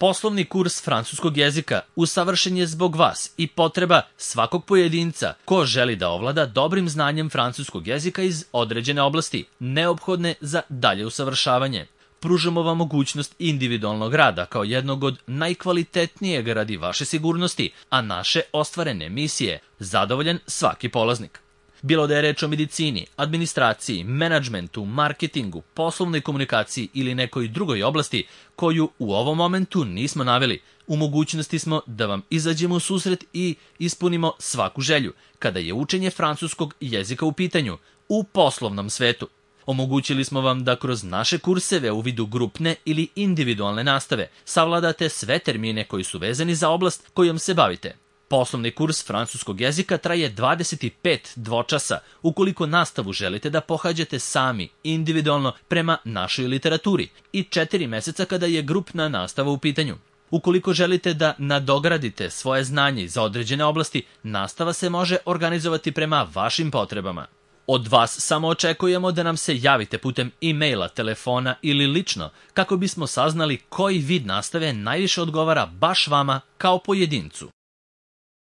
Poslovni kurs francuskog jezika usavršen je zbog vas i potreba svakog pojedinca ko želi da ovlada dobrim znanjem francuskog jezika iz određene oblasti, neophodne za dalje usavršavanje. Pružamo vam mogućnost individualnog rada kao jednog od najkvalitetnijeg radi vaše sigurnosti, a naše ostvarene misije zadovoljan svaki polaznik. Bilo da je reč o medicini, administraciji, menadžmentu, marketingu, poslovnoj komunikaciji ili nekoj drugoj oblasti koju u ovom momentu nismo naveli, u mogućnosti smo da vam izađemo u susret i ispunimo svaku želju kada je učenje francuskog jezika u pitanju u poslovnom svetu. Omogućili smo vam da kroz naše kurseve u vidu grupne ili individualne nastave savladate sve termine koji su vezani za oblast kojom se bavite. Poslovni kurs francuskog jezika traje 25 dvočasa ukoliko nastavu želite da pohađate sami, individualno prema našoj literaturi i 4 meseca kada je grupna nastava u pitanju. Ukoliko želite da nadogradite svoje znanje za određene oblasti, nastava se može organizovati prema vašim potrebama. Od vas samo očekujemo da nam se javite putem e-maila, telefona ili lično kako bismo saznali koji vid nastave najviše odgovara baš vama kao pojedincu.